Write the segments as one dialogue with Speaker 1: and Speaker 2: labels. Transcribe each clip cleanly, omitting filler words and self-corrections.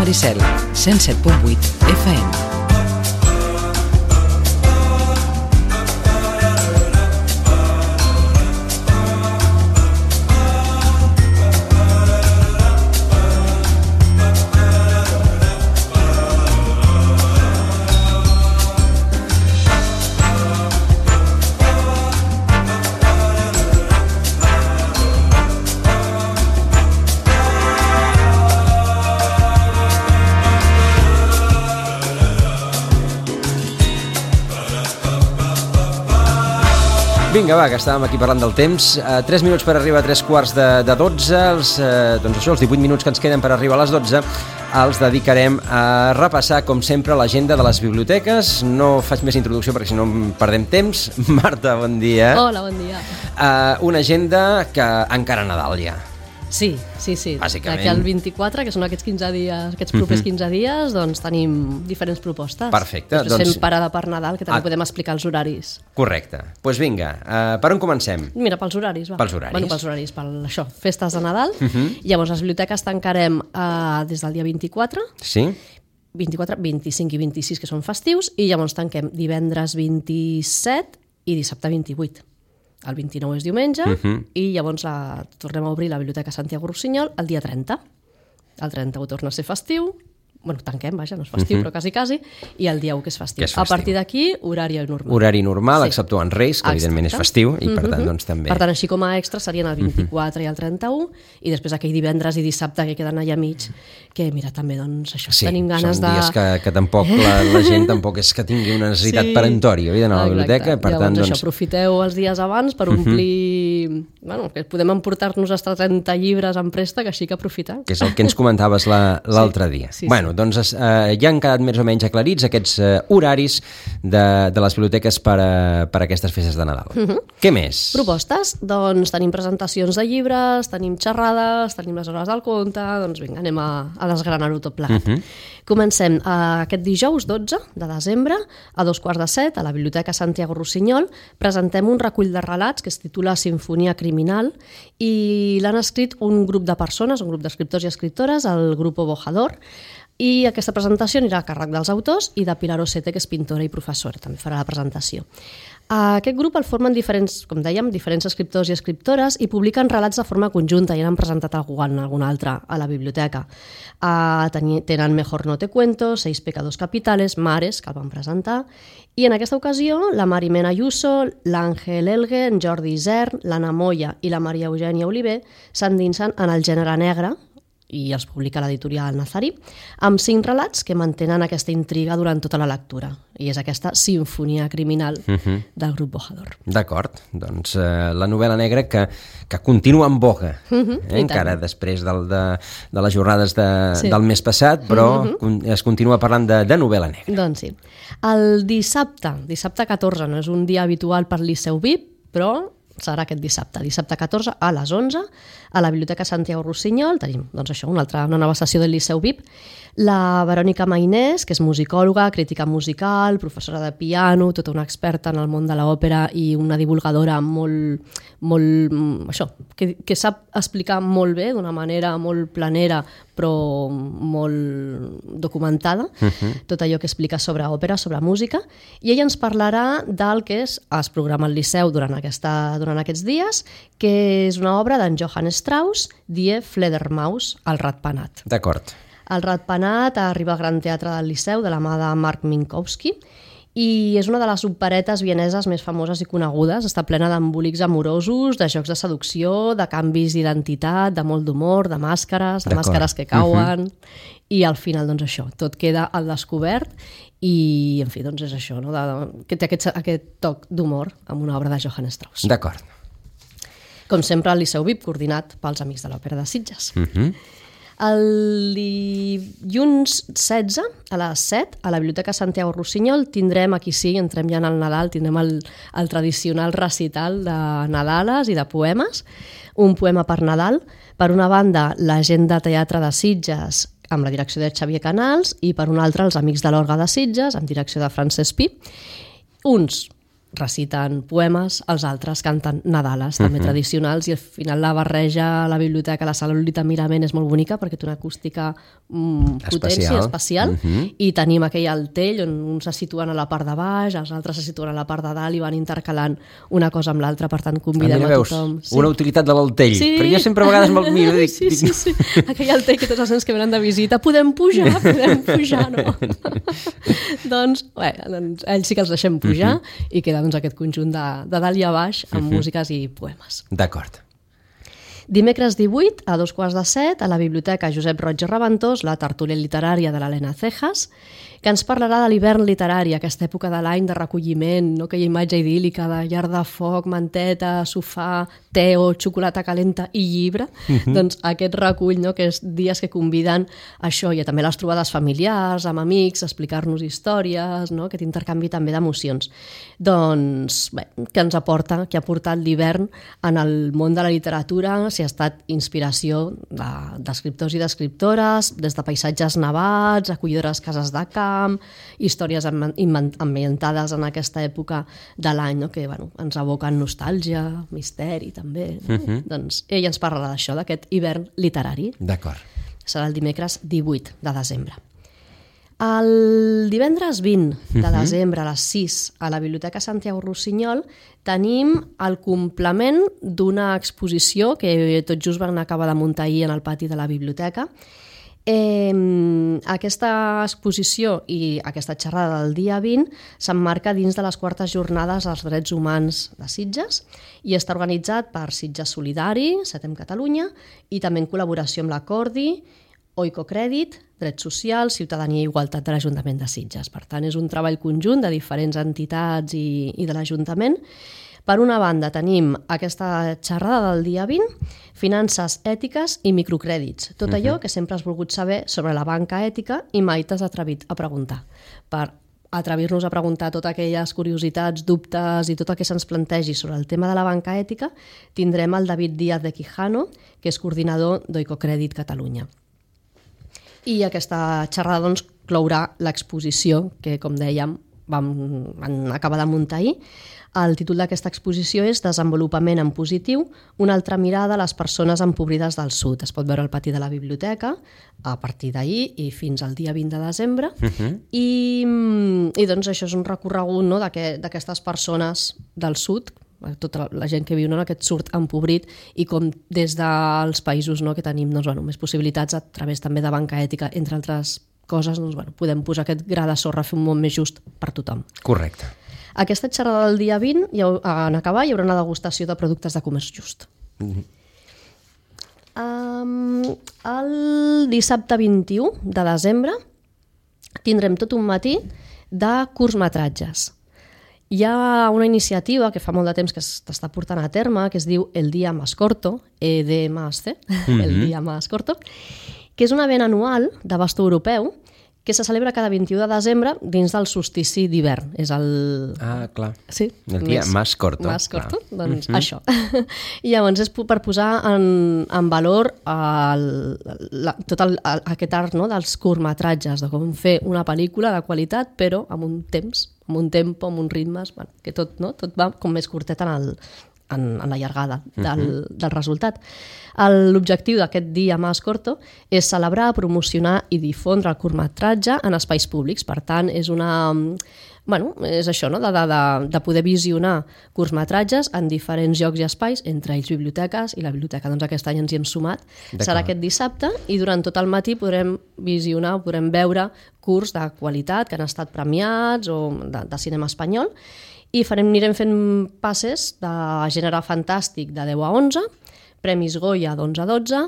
Speaker 1: Maricel, 107.8 FM.
Speaker 2: Vinga, va, que estàvem aquí parlant del temps. 3 minuts per arribar a 3:15 doncs això, els 18 minuts que ens queden per arribar a les 12 els dedicarem a repassar, com sempre, l'agenda de les biblioteques. No faig més introducció perquè si no perdem temps. Marta, bon dia.
Speaker 3: Hola, bon dia.
Speaker 2: Una agenda que encara a Nadal ja.
Speaker 3: Sí.
Speaker 2: Bàsicament.
Speaker 3: D'aquí al 24, que són aquests 15 dies, aquests propers 15 dies, doncs tenim diferents propostes.
Speaker 2: Perfecte.
Speaker 3: Després fem parada per Nadal, que també podem explicar els horaris.
Speaker 2: Correcte. Doncs vinga, per on comencem?
Speaker 3: Mira, pels horaris, va.
Speaker 2: Pels horaris.
Speaker 3: Bueno, pels horaris, això, festes de Nadal. Llavors, les biblioteques tancarem des del dia 24.
Speaker 2: Sí.
Speaker 3: 24, 25 i 26, que són festius, i llavors tanquem divendres 27 i dissabte 28. El 29 és diumenge i llavors tornem a obrir la Biblioteca Santiago Rossinyol el dia 30. El 31 torna a ser festiu, bueno, tanquem, vaja, no és festiu, però quasi, i el dia 1 que és festiu. A partir d'aquí, horari normal.
Speaker 2: Horari normal, exceptuant Reis, que evidentment és festiu, i per tant, doncs també...
Speaker 3: Per tant, així com a extra serien el 24 i el 31, i després aquell divendres i dissabte que queden allà mig, que mira, també, doncs, això, tenim ganes de...
Speaker 2: Sí, són dies que tampoc la gent tampoc és que tingui una necessitat peremptòria d'anar a la biblioteca, per tant,
Speaker 3: doncs... Això, aprofiteu els dies abans per omplir... Bueno, que podem emportar-nos hasta 30 llibres en préstec, així que aprofitar.
Speaker 2: Que és el que ens comentaves l'altre dia. Bueno, doncs ja han quedat més o menys aclarits aquests horaris de les biblioteques per a aquestes festes de Nadal. Què més?
Speaker 3: Propostes? Doncs tenim presentacions de llibres, tenim xerrades, tenim les hores del conte, doncs vinga, anem a desgranar-ho tot plegat. Comencem aquest dijous 12 de desembre a 2:15 a la Biblioteca Santiago Rossinyol. Presentem un recull de relats que es titula Sinfonia Criminal i l'han escrit un grup de persones, un grup d'escriptors i escriptores, el Grupo Bojador, i aquesta presentació anirà a càrrec dels autors i de Pilar Osete, que és pintora i professora, també farà la presentació. Aquest grup el formen diferents, com dèiem, diferents escriptors i escriptores i publiquen relats de forma conjunta i n'han presentat algun altre a la biblioteca. Tenen Mejor no te cuento, 6 pecados capitales, Mares, que el van presentar, i en aquesta ocasió la Marimena Ayuso, l'Àngel Elgue, en Jordi Isern, l'Anna Moya i la Maria Eugènia Oliver s'endinsen en el gènere negre, i els publica l'editorial Nazarí, amb 5 relats que mantenen aquesta intriga durant tota la lectura. I és aquesta sinfonia criminal del grup Bojador.
Speaker 2: D'acord, doncs la novel·la negra que continua en boga, encara després de les jornades del mes passat, però es continua parlant de novel·la negra.
Speaker 3: Doncs sí. El dissabte 14, no és un dia habitual per Liceu VIP, però serà aquest dissabte 14 a les 11 a la Biblioteca Santiago Rossinyol. Tenim, doncs això, una nova sessió del Liceu VIP. La Verònica Mainés, que és musicòloga, crítica musical, professora de piano, tota una experta en el món de l'òpera i una divulgadora que sap explicar molt bé, d'una manera molt planera, però molt documentada, tot allò que explica sobre òpera, sobre música, i ella ens parlarà del que es programa al Liceu durant aquests dies, que és una obra d'en Johann Strauss, Die Fledermaus, el ratpenat.
Speaker 2: D'acord.
Speaker 3: El ratpenat arriba al Gran Teatre del Liceu de la mà de Marc Minkowski i és una de les operetes vieneses més famoses i conegudes. Està plena d'embolics amorosos, de jocs de seducció, de canvis d'identitat, de molt d'humor, de màscares que cauen, i al final, doncs això, tot queda al descobert i, en fi, doncs és això, no? Que té aquest toc d'humor amb una obra de Johann Strauss.
Speaker 2: D'acord.
Speaker 3: Com sempre, el Liceu VIP, coordinat pels Amics de l'Òpera de Sitges. El dilluns 16 a les 7 a la Biblioteca Santiago Rossinyol tindrem, aquí sí, entrem ja en el Nadal, tindrem el tradicional recital de Nadales i de poemes, un poema per Nadal. Per una banda, la gent de teatre de Sitges amb la direcció de Xavier Canals i per una altra els Amics de l'Orga de Sitges amb direcció de Francesc Pi. Uns reciten poemes, els altres canten nadales, també tradicionals, i al final la barreja a la biblioteca, la sala Lolita Mirament és molt bonica perquè té una acústica potència especial, i tenim aquell altell on uns se situen a la part de baix, els altres se situen a la part de dalt i van intercalant una cosa amb l'altra, per tant convidem a tothom.
Speaker 2: Una utilitat de l'altell, perquè jo sempre a vegades me'l miro i dic...
Speaker 3: Sí, aquell altell que tots els nens que venen de visita, podem pujar, no? Doncs ells sí que els deixem pujar i queda aquest conjunt de dalt i a baix amb músiques i poemes.
Speaker 2: D'acord.
Speaker 3: Dimecres 18, a 6:45, a la Biblioteca Josep Roig i Reventós, la tertúlia literària de l'Helena Cejas, que ens parlarà de l'hivern literari, aquesta època de l'any de recolliment, no? Aquella imatge idíl·lica de llar de foc, manteta, sofà, te o xocolata calenta i llibre. Doncs aquest recull, no? Que és dies que conviden a això, i també les trobades familiars, amb amics, explicar-nos històries, no? Aquest intercanvi també d'emocions. Doncs bé, que ens aporta, que ha portat l'hivern en el món de la literatura, si ha estat inspiració d'escriptors i d'escriptores, des de paisatges nevats, acollidores cases de camp, històries ambientades en aquesta època de l'any, no? Que ens evoquen nostàlgia, misteri també. No? Doncs ell ens parlarà d'això, d'aquest hivern literari.
Speaker 2: D'acord.
Speaker 3: Serà el dimecres 18 de desembre. El divendres 20 de desembre a les 6 a la Biblioteca Santiago Rossinyol tenim el complement d'una exposició que tot just van acabar de muntar ahir en el pati de la biblioteca. Aquesta exposició i aquesta xerrada del dia 20 s'emmarca dins de les 4es jornades dels drets humans de Sitges i està organitzat per Sitges Solidari, Setem Catalunya, i també en col·laboració amb la Cordi, Oicocrèdit, Drets Socials, Ciutadania i Igualtat de l'Ajuntament de Sitges. Per tant, és un treball conjunt de diferents entitats i de l'Ajuntament. Per una banda, tenim aquesta xerrada del dia 20, finances ètiques i microcrèdits. Tot allò que sempre has volgut saber sobre la banca ètica i mai t'has atrevit a preguntar. Per atrevir-nos a preguntar totes aquelles curiositats, dubtes i tot el que se'ns plantegi sobre el tema de la banca ètica, tindrem el David Díaz de Quijano, que és coordinador d'Oicocrèdit Catalunya. I aquesta xerrada doncs, clourà l'exposició que, com dèiem, van acabar de muntar ahir. El títol d'aquesta exposició és Desenvolupament en positiu, una altra mirada a les persones empobrides del sud. Es pot veure al pati de la biblioteca a partir d'ahir i fins al dia 20 de desembre. I doncs això és un recorregut, no, d'aquestes persones del sud, tota la gent que viu en aquest sud empobrit, i com des dels països, no, que tenim més possibilitats a través també de banca ètica, entre altres coses, podem posar aquest gra de sorra a fer un món més just per tothom.
Speaker 2: Correcte.
Speaker 3: Aquesta xerrada del dia 20, en acabar, hi haurà una degustació de productes de comerç just. El dissabte 21 de desembre tindrem tot un matí de curtmetratges. Hi ha una iniciativa que fa molt de temps que s'està portant a terme, que es diu El Día Más Corto, ED+C, El Día Más Corto, que és un event anual d'abast europeu que se celebra cada 21 de desembre dins del solstici d'hivern. És el...
Speaker 2: Ah, clar.
Speaker 3: Sí.
Speaker 2: El dia más corto.
Speaker 3: Más corto, doncs això. I llavors és per posar en valor tot aquest art, no, dels curtmetratges, de com fer una pel·lícula de qualitat, però amb un temps, amb un tempo, amb uns ritmes, que tot va com més curtet en la llargada del resultat. L'objectiu d'aquest dia Más Corto és celebrar, promocionar i difondre el curtmetratge en espais públics. Per tant, és és això, no? de poder visionar curtmetratges en diferents llocs i espais, entre ells biblioteques, i la biblioteca doncs aquest any ens hi hem sumat. Serà aquest dissabte i durant tot el matí podrem visionar, podrem veure curts de qualitat que han estat premiats o de cinema espanyol, i anirem fent passes de gènere fantàstic de 10 a 11, Premis Goya d'11 a 12,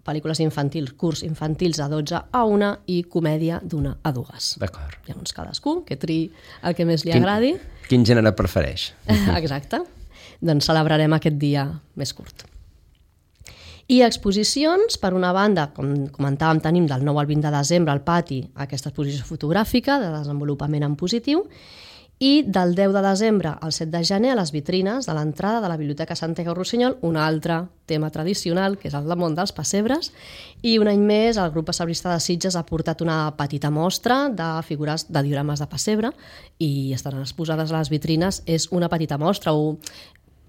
Speaker 3: pel·lícules infantils, curts infantils de 12 a 1 i comèdia d'1 a 2.
Speaker 2: D'acord.
Speaker 3: Llavors cadascú que triï el que més li agradi.
Speaker 2: Quin gènere prefereix?
Speaker 3: Exacte. Doncs celebrarem aquest dia més curt. I exposicions, per una banda, com comentàvem, tenim del 9 al 20 de desembre al pati aquesta exposició fotogràfica de desenvolupament en positiu, I del 10 de desembre al 7 de gener a les vitrines de l'entrada de la Biblioteca Santiago Rossinyol, un altre tema tradicional, que és el món dels pessebres, i un any més el grup pessebrista de Sitges ha portat una petita mostra de figures de diorames de pessebre i estaran exposades a les vitrines. És una petita mostra,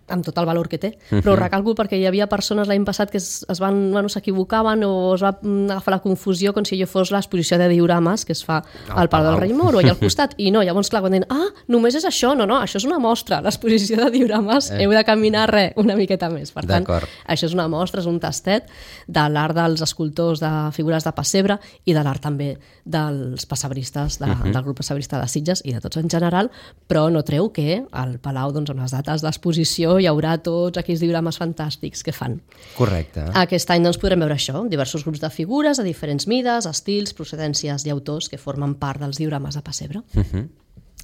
Speaker 3: amb tot el valor que té, però ho recalco perquè hi havia persones l'any passat que s'equivocaven o es va agafar la confusió com si allò fos l'exposició de diorames que es fa al Palau del Rei Moro i al costat, i no, llavors clar, quan diuen només és això, no, això és una mostra, l'exposició de diorames, heu de caminar una miqueta més, per tant, això és una mostra, és un tastet de l'art dels escultors de figures de pessebre i de l'art també dels pessebristes del grup pessebrista de Sitges i de tots en general, però no treu que al Palau, doncs, amb les dates d'exposició hi haurà tots aquells diorames fantàstics que fan.
Speaker 2: Correcte.
Speaker 3: Aquest any doncs, podrem veure això, diversos grups de figures de diferents mides, estils, procedències i autors que formen part dels diorames de pessebre.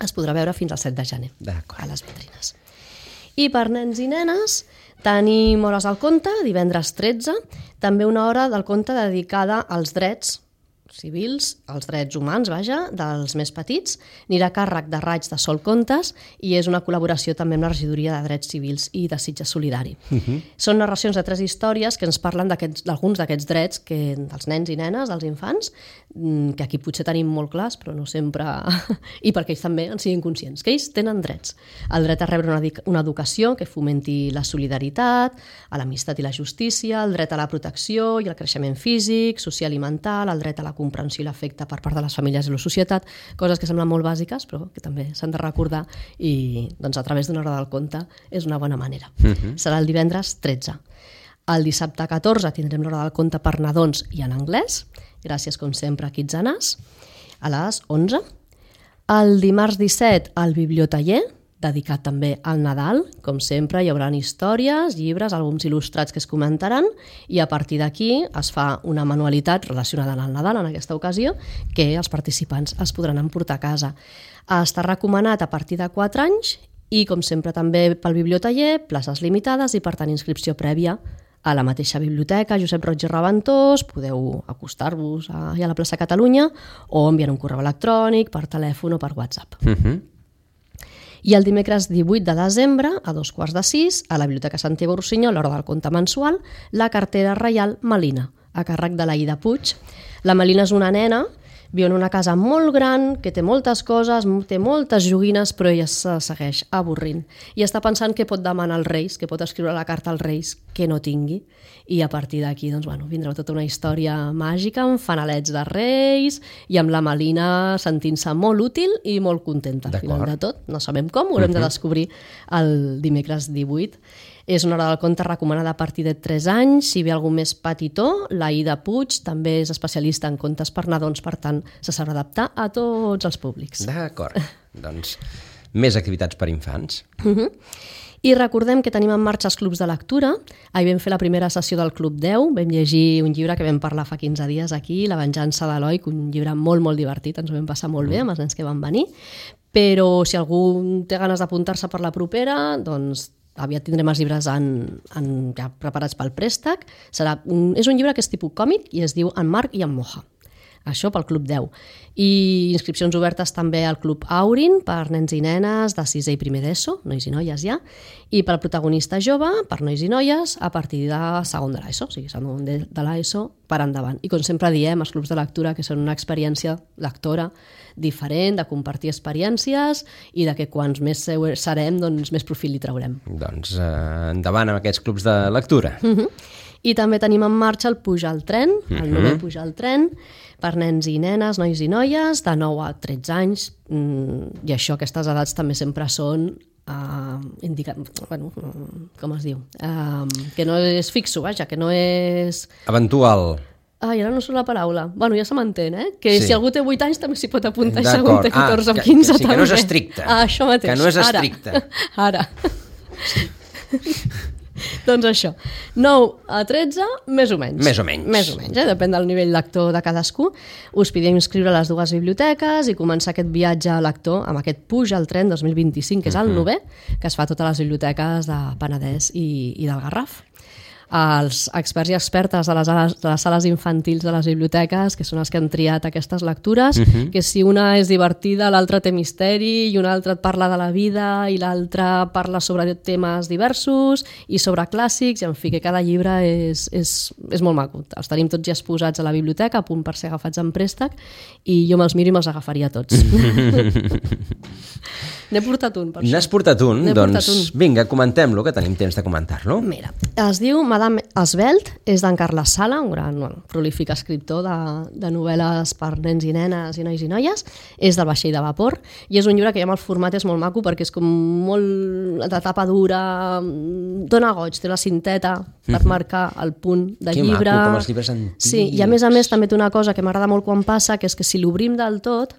Speaker 3: Es podrà veure fins al 7 de gener a les vitrines. I per nens i nenes tenim hores al conte, divendres 13, també una hora del conte dedicada als drets civils, els drets humans, dels més petits, anirà a càrrec de Raig de Sol Contes i és una col·laboració també amb la Regidoria de Drets Civils i de Sitges Solidari. Són narracions de 3 històries que ens parlen d'alguns d'aquests drets dels nens i nenes, dels infants, que aquí potser tenim molt clars, però no sempre... I perquè ells també en siguin conscients, que ells tenen drets. El dret a rebre una educació que fomenti la solidaritat, a l'amistat i la justícia, el dret a la protecció i el creixement físic, social i mental, el dret a la comprensió i l'afecte per part de les famílies i la societat, coses que semblen molt bàsiques però que també s'han de recordar i doncs, a través d'una hora del conte és una bona manera. Serà el divendres 13. El dissabte 14 tindrem l'hora del conte per nadons i en anglès, gràcies com sempre a Kids Anàs, a les 11. El dimarts 17 el bibliotaller, dedicat també al Nadal. Com sempre, hi haurà històries, llibres, àlbums il·lustrats que es comentaran i a partir d'aquí es fa una manualitat relacionada amb el Nadal en aquesta ocasió que els participants es podran emportar a casa. Està recomanat a partir de 4 anys i, com sempre, també pel bibliotaller, places limitades i, per tant, inscripció prèvia a la mateixa biblioteca Josep Roig i Reventós. Podeu acostar-vos a la plaça Catalunya o enviar un correu electrònic per telèfon o per WhatsApp. I el dimecres 18 de desembre, a 5:15, a la Biblioteca Santiago Rossinyol, a l'hora del conte mensual, la cartera reial Melina, a càrrec de l'Aida Puig. La Melina és una nena, viu en una casa molt gran, que té moltes coses, té moltes joguines, però ella se segueix avorrint. I està pensant què pot demanar als Reis, que pot escriure la carta als Reis que no tingui. I a partir d'aquí doncs, vindrà tota una història màgica amb fanalets de Reis i amb la Melina sentint-se molt útil i molt contenta. Al final de tot, no sabem com, ho haurem de descobrir el dimecres 18. És una hora del conte recomanada a partir de 3 anys. Si ve algú més petitó, l'Aida Puig també és especialista en contes per nadons, per tant, se sabrà adaptar a tots els públics.
Speaker 2: D'acord. Doncs més activitats per infants.
Speaker 3: I recordem que tenim en marxa els clubs de lectura. Ahir vam fer la primera sessió del Club 10, vam llegir un llibre que vam parlar fa 15 dies aquí, La venjança d'Eloi, un llibre molt, molt divertit, ens ho vam passar molt bé amb els nens que van venir. Però si algú té ganes d'apuntar-se per la propera, doncs aviat tindrem els llibres ja preparats pel préstec. És un llibre que és tipus còmic i es diu En Marc i en Moja. Això pel Club 10. I inscripcions obertes també al Club Aurin per nens i nenes de 6è i 1è d'ESO, nois i noies ja, i pel protagonista jove, per nois i noies, a partir de 2 de l'ESO, o sigui, segon de l'ESO per endavant. I com sempre diem, els clubs de lectura que són una experiència lectora diferent, de compartir experiències i de que quants més serem, doncs més profit li traurem.
Speaker 2: Doncs endavant amb aquests clubs de lectura.
Speaker 3: I també tenim en marxa el Pujar al tren, el 9è Pujar al tren, per nens i nenes, nois i noies, de 9 a 13 anys, i això, aquestes edats també sempre són com es diu? Que no és fixo, vaja, que no és...
Speaker 2: Eventual.
Speaker 3: Ai, ara no surt la paraula. Bueno, ja se m'entén, Que si algú té 8 anys també s'hi pot apuntar i segon té 14 o 15 també.
Speaker 2: Que no és estricte.
Speaker 3: Això mateix.
Speaker 2: Que no és estricte.
Speaker 3: Ara. Doncs això, 9 a 13, més o menys.
Speaker 2: Més o menys,
Speaker 3: depèn del nivell lector de cadascú. Us podem inscriure a les 2 biblioteques i començar aquest viatge lector amb aquest Puja al tren 2025, que és el 9è, que es fa a totes les biblioteques de Penedès i del Garraf. als experts i expertes de les sales infantils de les biblioteques, que són els que han triat aquestes lectures, que si una és divertida, l'altra té misteri, i una altra et parla de la vida, i l'altra parla sobre temes diversos, i sobre clàssics, i en fi, que cada llibre és molt maco. Els tenim tots ja exposats a la biblioteca, a punt per ser agafats en préstec, i jo me'ls miro i me'ls agafaria tots. N'he portat un, per això.
Speaker 2: N'has portat un? Doncs vinga, comentem-lo, que tenim temps de comentar-lo.
Speaker 3: Mira, es diu Madame Esvelt, és d'en Carles Sala, un gran prolífic escriptor de novel·les per nens i nenes i nois i noies, és del Vaixell de Vapor, i és un llibre que ja amb el format és molt maco perquè és com molt de tapa dura, dona goig, té la cinteta per marcar el punt de llibre.
Speaker 2: Que maco, com els llibres antics.
Speaker 3: Sí, i a més també té una cosa que m'agrada molt quan passa, que és que si l'obrim del tot,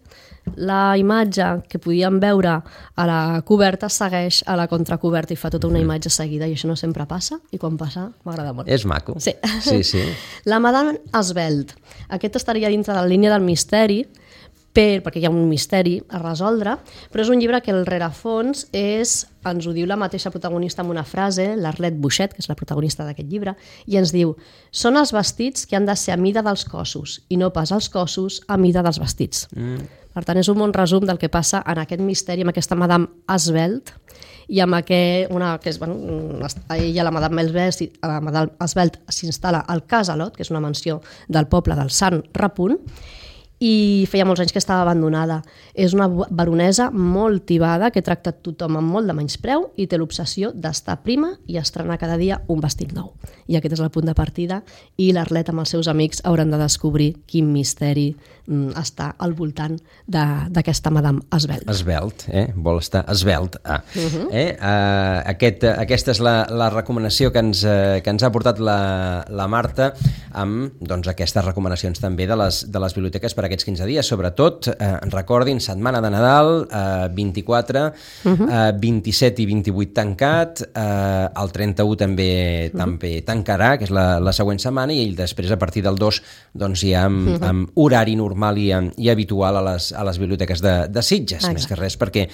Speaker 3: la imatge que podíem veure a la coberta segueix a la contracoberta i fa tota una imatge seguida, i això no sempre passa, i quan passa m'agrada molt.
Speaker 2: És maco.
Speaker 3: Sí.
Speaker 2: Sí.
Speaker 3: La Madame Esvelt. Aquest estaria dintre de la línia del misteri, perquè hi ha un misteri a resoldre, però és un llibre que el rerefons ens ho diu la mateixa protagonista amb una frase, l'Arlette Bouchet, que és la protagonista d'aquest llibre, i ens diu: són els vestits que han de ser a mida dels cossos i no pas els cossos a mida dels vestits. Per tant, és un bon resum del que passa en aquest misteri, amb aquesta Madame Esvelt, i amb ella, la Madame Esvelt, s'instal·la al Casalot, que és una mansió del poble del Sant Repunt, i feia molts anys que estava abandonada. És una baronesa molt tibada que tracta tothom amb molt de menyspreu i té l'obsessió d'estar prima i estrenar cada dia un vestit nou. I aquest és el punt de partida, i l'Arlet amb els seus amics hauran de descobrir quin misteri està al voltant d'aquesta Madame Esvelt.
Speaker 2: Esvelt, vol estar esvelt. Aquesta és la recomanació que ens ha portat la Marta, amb aquestes recomanacions també de les biblioteques per aquests 15 dies. Sobretot, recordin, setmana de Nadal, 24, 27 i 28 tancat, el 31 també tancarà, que és la següent setmana, i després a partir del 2 ja amb horari normal i habitual a les biblioteques de Sitges. Més que res perquè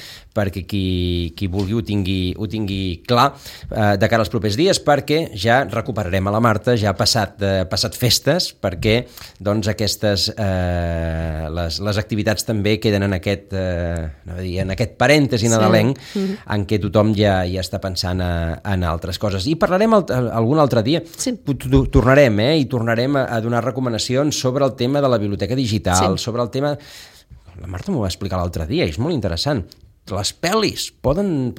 Speaker 2: qui vulgui ho tingui clar de cara als propers dies, perquè ja recuperarem a la Marta, ja passat festes, perquè aquestes les activitats també queden en aquest parèntesi nadalenc en què tothom ja està pensant en altres coses. I parlarem algun altre dia. Tornarem i tornarem a donar recomanacions sobre el tema de la biblioteca digital, sobre el tema... La Marta m'ho va explicar l'altre dia i és molt interessant. Les pel·lis, poden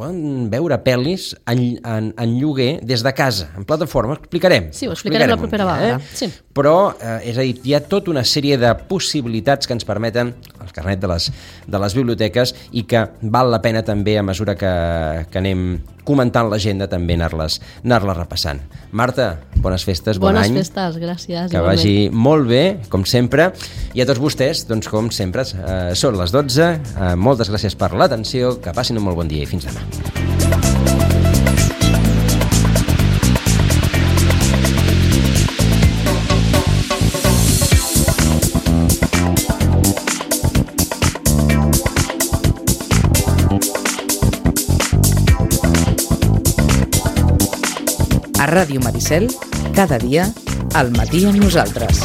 Speaker 2: veure pel·lis en lloguer des de casa, en plataforma, explicarem.
Speaker 3: Sí, ho explicarem la propera vegada. Sí.
Speaker 2: Però, és a dir, hi ha tota una sèrie de possibilitats que ens permeten el carnet de les biblioteques i que val la pena també, a mesura que anem comentant l'agenda, també anar-les repassant. Marta, bones festes, bon any.
Speaker 3: Bones festes, gràcies.
Speaker 2: Que vagi molt bé, com sempre. I a tots vostès, com sempre, són les 12. Moltes gràcies per l'atenció, que passin un molt bon dia i fins demà.
Speaker 1: A Ràdio Maricel, cada dia, al matí amb nosaltres.